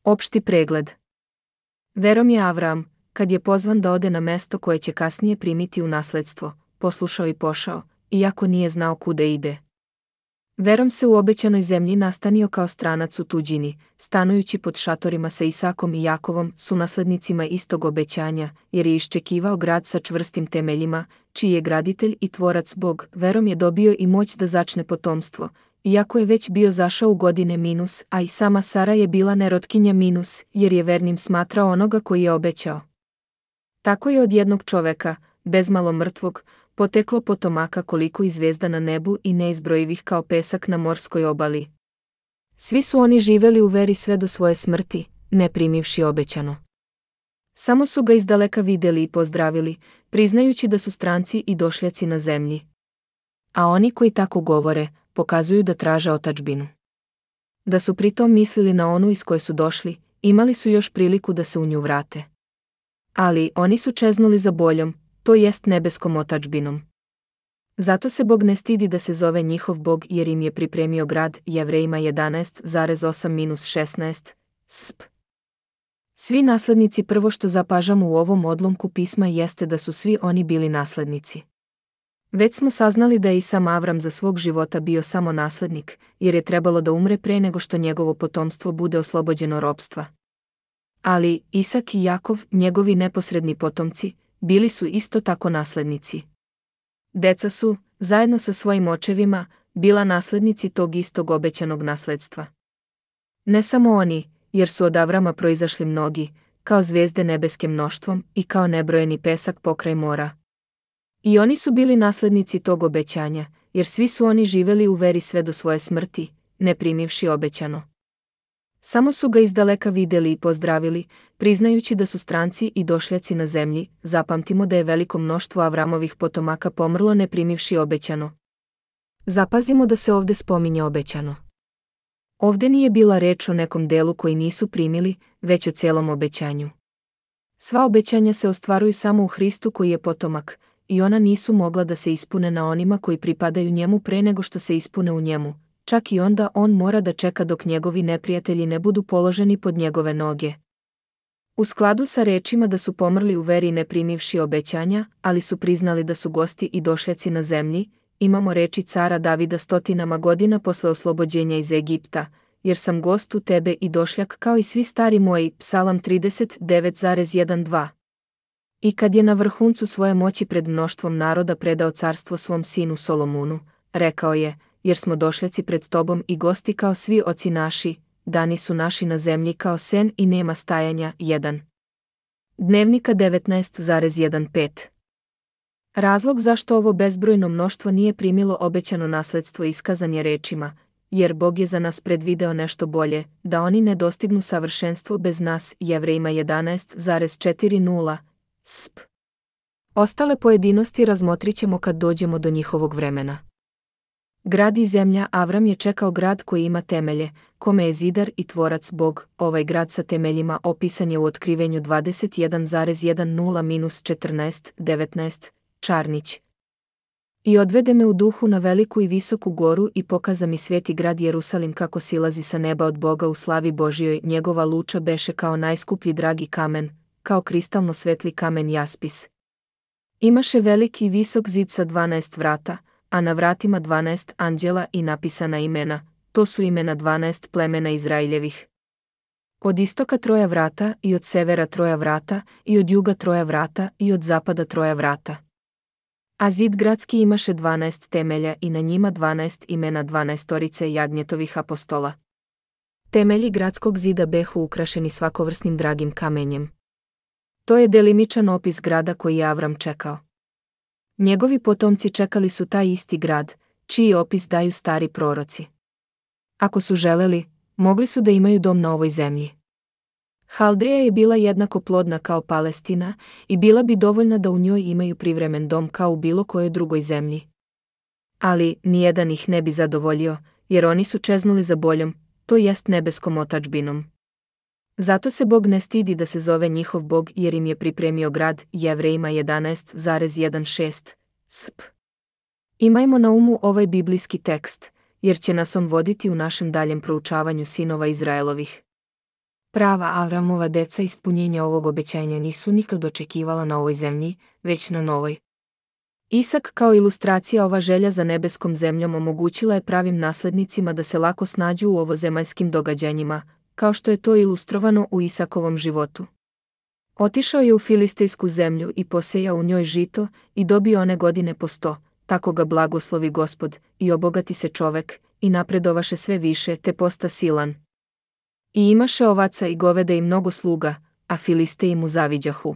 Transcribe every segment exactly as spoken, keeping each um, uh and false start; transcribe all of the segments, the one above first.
Opšti pregled. Verom je Avram, kad je pozvan da ode na mesto koje će kasnije primiti u nasledstvo, poslušao i pošao, iako nije znao kuda ide. Verom se u obećanoj zemlji nastanio kao stranac u tuđini, stanujući pod šatorima sa Isakom i Jakovom, sunaslednicima istog obećanja, jer je iščekivao grad sa čvrstim temeljima, čiji je graditelj i tvorac Bog. Verom je dobio i moć da začne potomstvo, iako je već bio zašao u godine minus, a i sama Sara je bila nerotkinja minus, jer je vernim smatrao onoga koji je obećao. Tako je od jednog čoveka, bezmalo mrtvog, poteklo potomaka koliko i zvezda na nebu i neizbrojivih kao pesak na morskoj obali. Svi su oni živeli u veri sve do svoje smrti, ne primivši obećano. Samo su ga izdaleka vidjeli i pozdravili, priznajući da su stranci i došljaci na zemlji. A oni koji tako govore, pokazuju da traže otadžbinu. Da su pritom mislili na onu iz koje su došli, imali su još priliku da se u nju vrate. Ali oni su čeznuli za boljom, to jest nebeskom otadžbinom. Zato se Bog ne stidi da se zove njihov Bog, jer im je pripremio grad. Jevrejima jedanaest osam šesnaest. Sp. Svi naslednici. Prvo što zapažamo u ovom odlomku pisma jeste da su svi oni bili naslednici. Već smo saznali da je i sam Avram za svog života bio samo naslednik, jer je trebalo da umre pre nego što njegovo potomstvo bude oslobođeno ropstva. Ali Isak i Jakov, njegovi neposredni potomci, bili su isto tako naslednici. Deca su, zajedno sa svojim očevima, bila naslednici tog istog obećanog nasledstva. Ne samo oni, jer su od Avrama proizašli mnogi, kao zvijezde nebeske mnoštvom i kao nebrojeni pesak pokraj mora. I oni su bili naslednici tog obećanja, jer svi su oni živeli u veri sve do svoje smrti, ne primivši obećano. Samo su ga izdaleka vidjeli i pozdravili, priznajući da su stranci i došljaci na zemlji. Zapamtimo da je veliko mnoštvo Avramovih potomaka pomrlo ne primivši obećano. Zapazimo da se ovdje spominje obećano. Ovdje nije bila reč o nekom delu koji nisu primili, već o cijelom obećanju. Sva obećanja se ostvaruju samo u Hristu koji je potomak, i ona nisu mogla da se ispune na onima koji pripadaju njemu pre nego što se ispune u njemu. Čak i onda on mora da čeka dok njegovi neprijatelji ne budu položeni pod njegove noge. U skladu sa rečima da su pomrli u veri ne primivši obećanja, ali su priznali da su gosti i došljaci na zemlji, imamo reči cara Davida stotinama godina posle oslobođenja iz Egipta, jer sam gost u tebe i došljak kao i svi stari moji, Psalam trideset devet jedanaest. I kad je na vrhuncu svoje moći pred mnoštvom naroda predao carstvo svom sinu Solomunu, rekao je, jer smo došljaci pred tobom i gosti kao svi oci naši, dani su naši na zemlji kao sen i nema stajanja. jedan. Dnevnika devetnaest pet. Razlog zašto ovo bezbrojno mnoštvo nije primilo obećano nasledstvo iskazan je rečima, jer Bog je za nas predvideo nešto bolje, da oni ne dostignu savršenstvo bez nas. Jevrejima jedanaest četrdeset. Sp. Ostale pojedinosti razmotrit ćemo kad dođemo do njihovog vremena. Grad i zemlja. Avram je čekao grad koji ima temelje, kome je zidar i tvorac Bog. Ovaj grad sa temeljima opisan je u Otkrivenju dvadeset jedan jedanaest četrnaest devetnaest. Čarnić. I odvede me u duhu na veliku i visoku goru i pokaza mi sveti grad Jerusalim kako silazi sa neba od Boga u slavi Božjoj. Njegova luča beše kao najskuplji dragi kamen, kao kristalno svetli kamen jaspis. Imaše veliki i visok zid sa dvanaest vrata, a na vratima dvanaest anđela i napisana imena, to su imena dvanaest plemena Izraeljevih. Od istoka troja vrata i od severa troja vrata i od juga troja vrata i od zapada troja vrata. A zid gradski imaše dvanaest temelja i na njima dvanaest imena dvanaestorice jagnjetovih apostola. Temelji gradskog zida behu ukrašeni svakovrsnim dragim kamenjem. To je delimičan opis grada koji je Avram čekao. Njegovi potomci čekali su taj isti grad, čiji opis daju stari proroci. Ako su želeli, mogli su da imaju dom na ovoj zemlji. Haldeja je bila jednako plodna kao Palestina i bila bi dovoljna da u njoj imaju privremen dom kao u bilo kojoj drugoj zemlji. Ali nijedan ih ne bi zadovoljio, jer oni su čeznuli za boljom, to jest nebeskom otadžbinom. Zato se Bog ne stidi da se zove njihov Bog, jer im je pripremio grad. Jevrejima jedanaest šesnaest. Sp. Imajmo na umu ovaj biblijski tekst, jer će nas on voditi u našem daljem proučavanju sinova Izraelovih. Prava Avramova deca ispunjenja ovog obećanja nisu nikad očekivala na ovoj zemlji, već na novoj. Isak kao ilustracija ova želja za nebeskom zemljom omogućila je pravim naslednicima da se lako snađu u ovozemaljskim događanjima, kao što je to ilustrovano u Isakovom životu. Otišao je u filistejsku zemlju i posejao u njoj žito i dobio one godine po sto, tako ga blagoslovi Gospod, i obogati se čovek, i napredovaše sve više, te posta silan. I imaše ovaca i goveda i mnogo sluga, a Filisteji mu zaviđahu.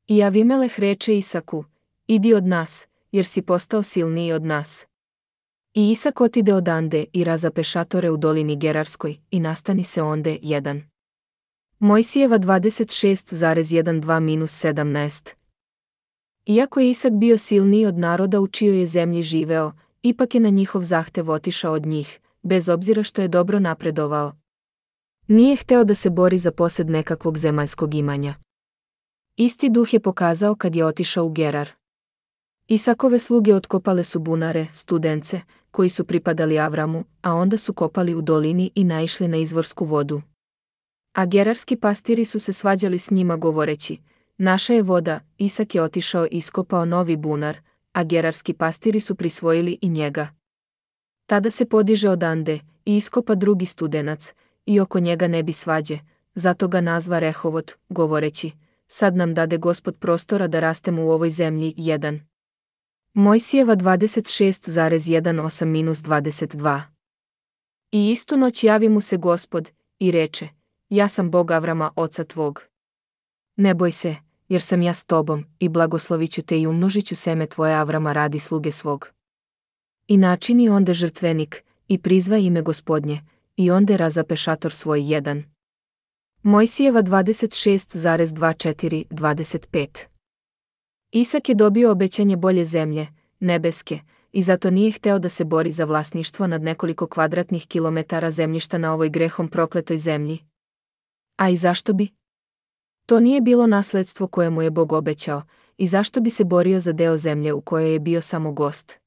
I Avimeleh reče Isaku: idi od nas, jer si postao silniji od nas. I Isak otide odande i razape šatore u dolini Gerarskoj, i nastani se onde jedan. Mojsijeva dvadeset šest dvanaest sedamnaest. Iako je Isak bio silniji od naroda u čijoj je zemlji živeo, ipak je na njihov zahtev otišao od njih, bez obzira što je dobro napredovao. Nije hteo da se bori za posed nekakvog zemaljskog imanja. Isti duh je pokazao kad je otišao u Gerar. Isakove sluge otkopale su bunare, studence, koji su pripadali Avramu, a onda su kopali u dolini i naišli na izvorsku vodu. A gerarski pastiri su se svađali s njima govoreći: naša je voda. Isak je otišao i iskopao novi bunar, a gerarski pastiri su prisvojili i njega. Tada se podiže odande i iskopa drugi studenac, i oko njega ne bi svađe, zato ga nazva Rehovot, govoreći: sad nam dade Gospod prostora da rastemo u ovoj zemlji. jedan. Mojsijeva dvadeset šest osam dvadeset dva. I istu noć javi mu se Gospod i reče: ja sam Bog Avrama oca tvog. Ne boj se, jer sam ja s tobom, i blagoslovit ću te i umnožit ću seme tvoje Avrama radi sluge svog. I načini onde žrtvenik, i prizva ime Gospodnje, i onde razape šator svoj. jedan. Mojsijeva dvadeset šest dvadeset četiri dvadeset pet. Isak je dobio obećanje bolje zemlje, nebeske, i zato nije hteo da se bori za vlasništvo nad nekoliko kvadratnih kilometara zemljišta na ovoj grehom prokletoj zemlji. A i zašto bi? To nije bilo nasledstvo koje mu je Bog obećao, i zašto bi se borio za deo zemlje u kojoj je bio samo gost?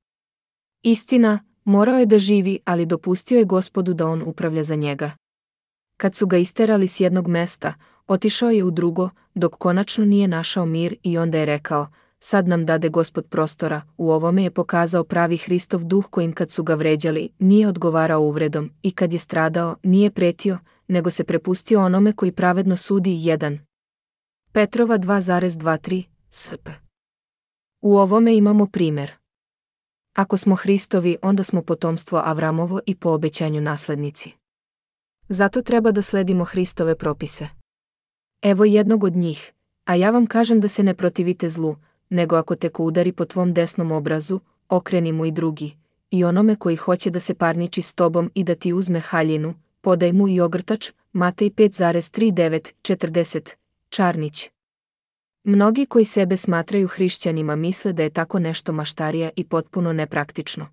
Istina, morao je da živi, ali dopustio je Gospodu da on upravlja za njega. Kad su ga isterali s jednog mesta, otišao je u drugo, dok konačno nije našao mir, i onda je rekao: sad nam dade Gospod prostora. U ovome je pokazao pravi Hristov duh, kojim kad su ga vređali, nije odgovarao uvredom, i kad je stradao, nije pretio, nego se prepustio onome koji pravedno sudi. jedan. Petrova dva dvadesет tri sp. U ovome imamo primjer. Ako smo Hristovi, onda smo potomstvo Avramovo i po obećanju naslednici. Zato treba da sledimo Hristove propise. Evo jednog od njih: a ja vam kažem da se ne protivite zlu, nego ako te ko udari po tvom desnom obrazu, okreni mu i drugi, i onome koji hoće da se parniči s tobom i da ti uzme haljinu, podaj mu i ogrtač. Matej pet trideset devet četrdeset. Čarnić. Mnogi koji sebe smatraju hrišćanima misle da je tako nešto maštarija i potpuno nepraktično.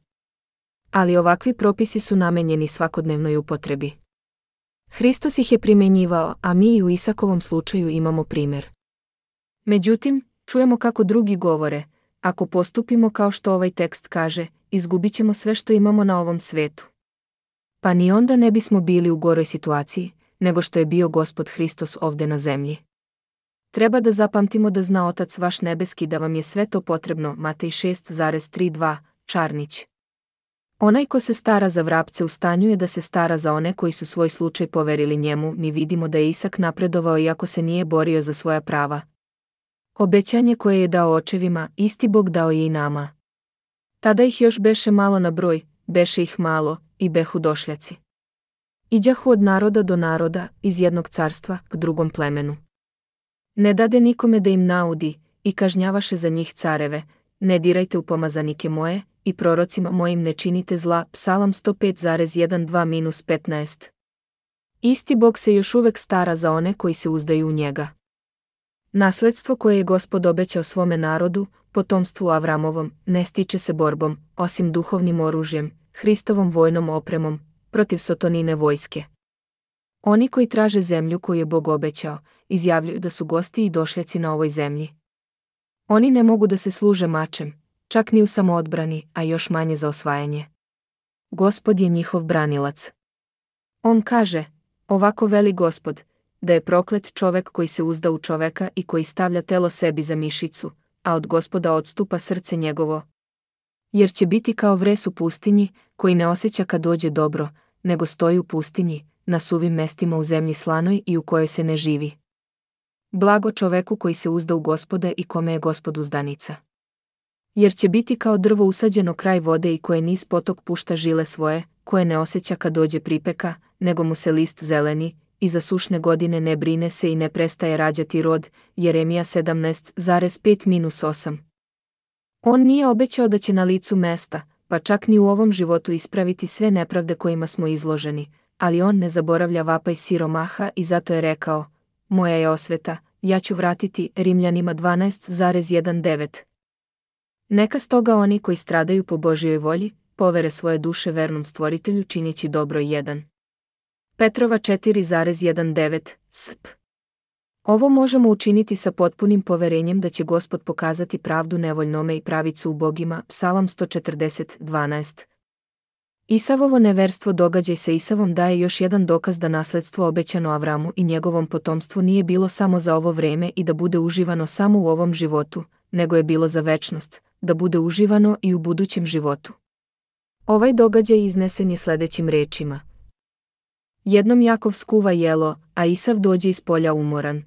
Ali ovakvi propisi su namenjeni svakodnevnoj upotrebi. Hristos ih je primenjivao, a mi i u Isakovom slučaju imamo primjer. Međutim, čujemo kako drugi govore: ako postupimo kao što ovaj tekst kaže, izgubit ćemo sve što imamo na ovom svetu. Pa ni onda ne bismo bili u goroj situaciji, nego što je bio Gospod Hristos ovde na zemlji. Treba da zapamtimo da zna Otac vaš nebeski da vam je sve to potrebno. Matej šest trideset dva. Čarnić. Onaj ko se stara za vrapce u stanju je da se stara za one koji su svoj slučaj poverili njemu. Mi vidimo da je Isak napredovao iako se nije borio za svoja prava. Obećanje koje je dao očevima, isti Bog dao je i nama. Tada ih još beše malo na broj, beše ih malo, i behu došljaci. Iđahu od naroda do naroda, iz jednog carstva k drugom plemenu. Ne dade nikome da im naudi, i kažnjavaše za njih careve: ne dirajte u pomazanike moje, i prorocima mojim ne činite zla. Psalam sto pet jedan dva petnaest. Isti Bog se još uvek stara za one koji se uzdaju u njega. Nasledstvo koje je Gospod obećao svome narodu, potomstvu Avramovom, ne stiče se borbom, osim duhovnim oružjem, Hristovom vojnom opremom, protiv Sotonine vojske. Oni koji traže zemlju koju je Bog obećao, izjavljuju da su gosti i došljaci na ovoj zemlji. Oni ne mogu da se služe mačem, čak ni u samoodbrani, a još manje za osvajanje. Gospod je njihov branilac. On kaže: ovako veli Gospod: da je proklet čovek koji se uzda u čoveka i koji stavlja telo sebi za mišicu, a od Gospoda odstupa srce njegovo. Jer će biti kao vres u pustinji, koji ne osjeća kad dođe dobro, nego stoji u pustinji, na suvim mestima u zemlji slanoj i u kojoj se ne živi. Blago čoveku koji se uzda u Gospoda i kome je Gospod uzdanica. Jer će biti kao drvo usađeno kraj vode i koje niz potok pušta žile svoje, koje ne osjeća kad dođe pripeka, nego mu se list zeleni, i za sušne godine ne brine se i ne prestaje rađati rod. Jeremija sedamnaest pet osam. On nije obećao da će na licu mesta, pa čak ni u ovom životu ispraviti sve nepravde kojima smo izloženi, ali on ne zaboravlja vapaj siromaha i zato je rekao: moja je osveta, ja ću vratiti. Rimljanima dvanaest devet. Neka stoga oni koji stradaju po Božjoj volji, povere svoje duše vernom stvoritelju činjeći dobro. jedan Petrova četiri devet sp. Ovo možemo učiniti sa potpunim poverenjem da će Gospod pokazati pravdu nevoljnome i pravicu ubogima. Psalam sto četrdeset dvanaest. Isavovo neverstvo događaj sa Isavom daje još jedan dokaz da nasledstvo obećano Avramu i njegovom potomstvu nije bilo samo za ovo vreme i da bude uživano samo u ovom životu, nego je bilo za večnost, da bude uživano i u budućem životu. Ovaj događaj iznesen je sledećim rečima. Jednom Jakov skuva jelo, a Isav dođe iz polja umoran.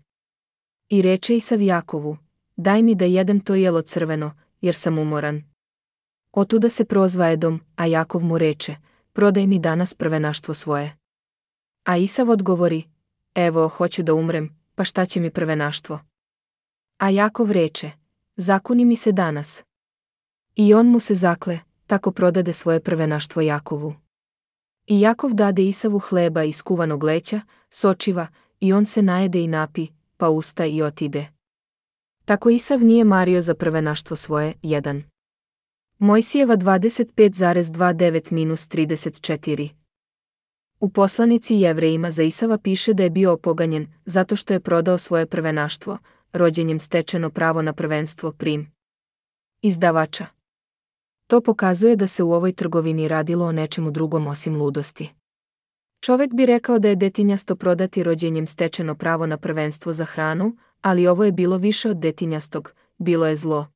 I reče Isav Jakovu: daj mi da jedem to jelo crveno, jer sam umoran. Otuda se prozva Edom, a Jakov mu reče: prodaj mi danas prvenaštvo svoje. A Isav odgovori: evo, hoću da umrem, pa šta će mi prvenaštvo? A Jakov reče: zakuni mi se danas. I on mu se zakle, tako prodade svoje prvenaštvo Jakovu. I Jakov dade Isavu hleba i skuvanog leća, sočiva, i on se najede i napi, pa usta i otide. Tako Isav nije mario za prvenaštvo svoje. jedan Mojsijeva dvadeset pet dvadesет devet trideset četiri. U poslanici Jevrejima za Isava piše da je bio opoganjen zato što je prodao svoje prvenaštvo, rođenjem stečeno pravo na prvenstvo. Prim. Izdavača. To pokazuje da se u ovoj trgovini radilo o nečemu drugom osim ludosti. Čovek bi rekao da je detinjasto prodati rođenjem stečeno pravo na prvenstvo za hranu, ali ovo je bilo više od detinjastog, bilo je zlo.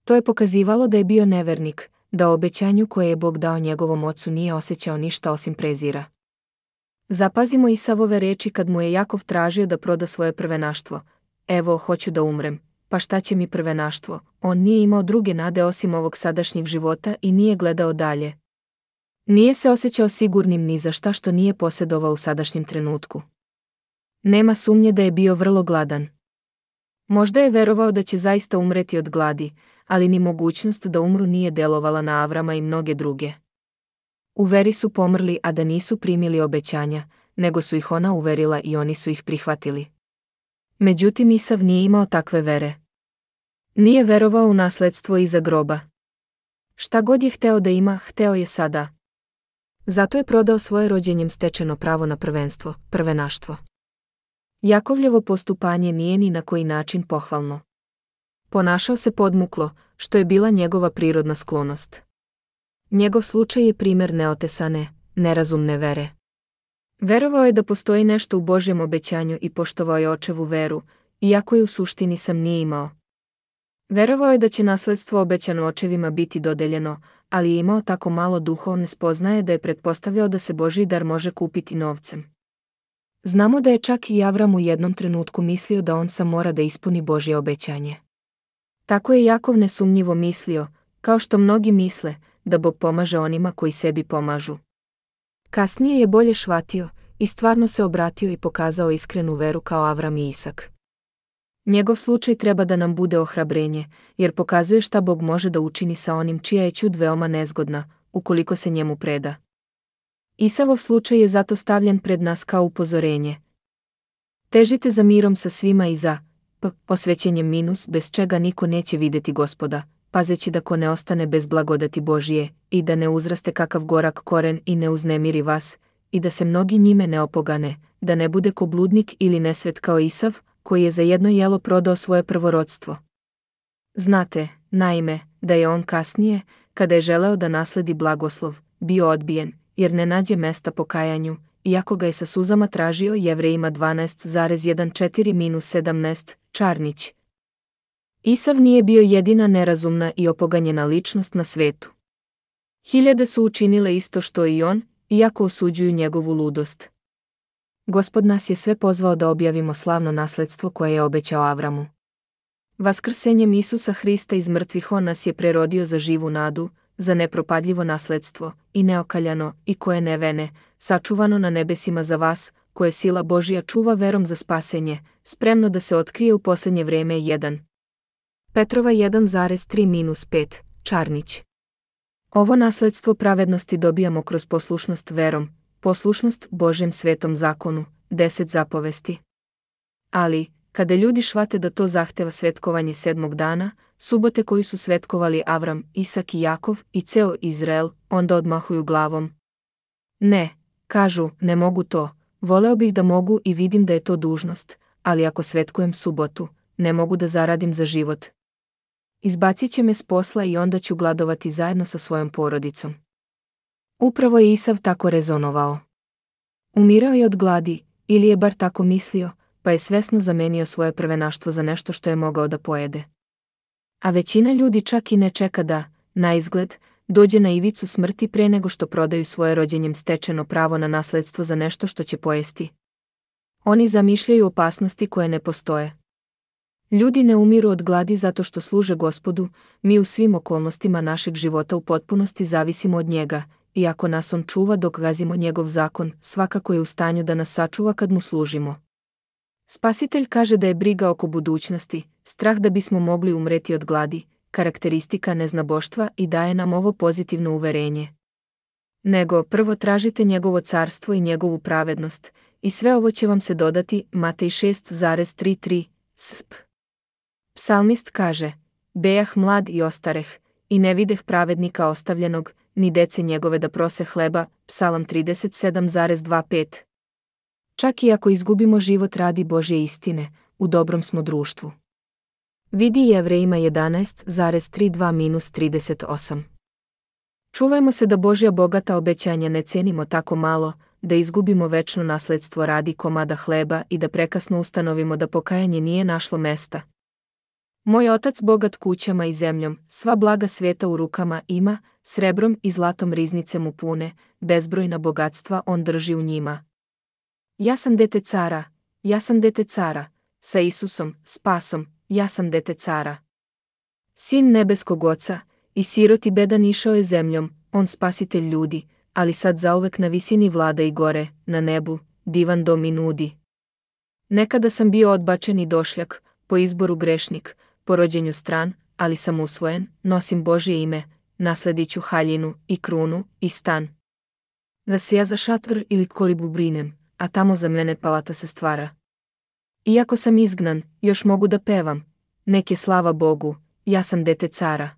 To je pokazivalo da je bio nevernik, da o obećanju koje je Bog dao njegovom ocu nije osjećao ništa osim prezira. Zapazimo Isavove reči kad mu je Jakov tražio da proda svoje prvenaštvo. Evo, hoću da umrem, pa šta će mi prvenaštvo? On nije imao druge nade osim ovog sadašnjeg života i nije gledao dalje. Nije se osjećao sigurnim ni za šta što nije posjedovao u sadašnjem trenutku. Nema sumnje da je bio vrlo gladan. Možda je verovao da će zaista umreti od gladi, ali ni mogućnost da umru nije delovala na Avrama i mnoge druge. U veri su pomrli, a da nisu primili obećanja, nego su ih ona uverila i oni su ih prihvatili. Međutim, Isav nije imao takve vere. Nije verovao u nasledstvo iza groba. Šta god je hteo da ima, hteo je sada. Zato je prodao svoje rođenjem stečeno pravo na prvenstvo, prvenaštvo. Jakovljevo postupanje nije ni na koji način pohvalno. Ponašao se podmuklo, što je bila njegova prirodna sklonost. Njegov slučaj je primer neotesane, nerazumne vere. Verovao je da postoji nešto u Božjem obećanju i poštovao je očevu veru, iako je u suštini sam nije imao. Verovao je da će nasledstvo obećano očevima biti dodeljeno, ali je imao tako malo duhovne spoznaje da je pretpostavljao da se Božji dar može kupiti novcem. Znamo da je čak i Avram u jednom trenutku mislio da on sam mora da ispuni Božje obećanje. Tako je Jakov nesumnjivo mislio, kao što mnogi misle, da Bog pomaže onima koji sebi pomažu. Kasnije je bolje shvatio i stvarno se obratio i pokazao iskrenu veru kao Avram i Isak. Njegov slučaj treba da nam bude ohrabrenje, jer pokazuje šta Bog može da učini sa onim čija je ćud veoma nezgodna, ukoliko se njemu preda. Isavov slučaj je zato stavljen pred nas kao upozorenje. Težite za mirom sa svima i za p. osvećenjem minus bez čega niko neće videti Gospoda, pazeći da ko ne ostane bez blagodati Božije, i da ne uzraste kakav gorak koren i ne uznemiri vas, i da se mnogi njime ne opogane, da ne bude ko bludnik ili nesvet kao Isav, koji je za jedno jelo prodao svoje prvorodstvo. Znate, naime, da je on kasnije, kada je želeo da nasledi blagoslov, bio odbijen, jer ne nađe mesta pokajanju, iako ga je sa suzama tražio. Jevrejima dvanaest četrnaest sedamnaest, Čarnić. Isav nije bio jedina nerazumna i opoganjena ličnost na svetu. Hiljade su učinile isto što i on, iako osuđuju njegovu ludost. Gospod nas je sve pozvao da objavimo slavno nasledstvo koje je obećao Avramu. Vaskrsenjem Isusa Hrista iz mrtvih on nas je prerodio za živu nadu, za nepropadljivo nasledstvo, i neokaljano, i koje ne vene, sačuvano na nebesima za vas, koje sila Božja čuva verom za spasenje, spremno da se otkrije u posljednje vreme. jedan. Petrova jedan tri pet, Čarnić. Ovo nasledstvo pravednosti dobijamo kroz poslušnost verom, poslušnost Božjem svetom zakonu, deset zapovesti. Ali, kada ljudi shvate da to zahteva svetkovanje sedmog dana, subote koju su svetkovali Avram, Isak i Jakov i ceo Izrael, onda odmahuju glavom. Ne, kažu, ne mogu to, voleo bih da mogu i vidim da je to dužnost, ali ako svetkujem subotu, ne mogu da zaradim za život. Izbacit će me s posla i onda ću gladovati zajedno sa svojom porodicom. Upravo je Isav tako rezonovao. Umirao je od gladi, ili je bar tako mislio, pa je svesno zamenio svoje prvenaštvo za nešto što je mogao da pojede. A većina ljudi čak i ne čeka da, na izgled, dođe na ivicu smrti pre nego što prodaju svoje rođenjem stečeno pravo na nasledstvo za nešto što će pojesti. Oni zamišljaju opasnosti koje ne postoje. Ljudi ne umiru od gladi zato što služe Gospodu, mi u svim okolnostima našeg života u potpunosti zavisimo od njega, i ako nas on čuva dok gazimo njegov zakon, svakako je u stanju da nas sačuva kad mu služimo. Spasitelj kaže da je briga oko budućnosti, strah da bismo mogli umreti od gladi, karakteristika neznaboštva i daje nam ovo pozitivno uverenje. Nego, prvo tražite njegovo carstvo i njegovu pravednost, i sve ovo će vam se dodati. Matej šest tri tri, sp. Psalmist kaže, bejah mlad i ostareh, i ne videh pravednika ostavljenog, ni dece njegove da prose hleba. Psalam trideset sedam dvadesет pet. Čak i ako izgubimo život radi Božje istine, u dobrom smo društvu. Vidi Jevrejima jedanaest trideset dva trideset osam. Čuvajmo se da Božja bogata obećanja ne cenimo tako malo, da izgubimo večno nasledstvo radi komada hleba i da prekasno ustanovimo da pokajanje nije našlo mesta. Moj otac bogat kućama i zemljom, sva blaga sveta u rukama ima, srebrom i zlatom riznice mu pune, bezbrojna bogatstva on drži u njima. Ja sam dete cara, ja sam dete cara, sa Isusom, spasom, ja sam dete cara. Sin nebeskog oca, i sirot i bedan išao je zemljom, on spasitelj ljudi, ali sad zauvek na visini vlada i gore, na nebu, divan dom i nudi. Nekada sam bio odbačen i došljak, po izboru grešnik, po rođenju stran, ali sam usvojen, nosim Božje ime, nasledit ću haljinu i krunu i stan. Da se ja za šator ili kolibu brinem, a tamo za mene palata se stvara. Iako sam izgnan, još mogu da pevam, nek je slava Bogu, ja sam dete cara.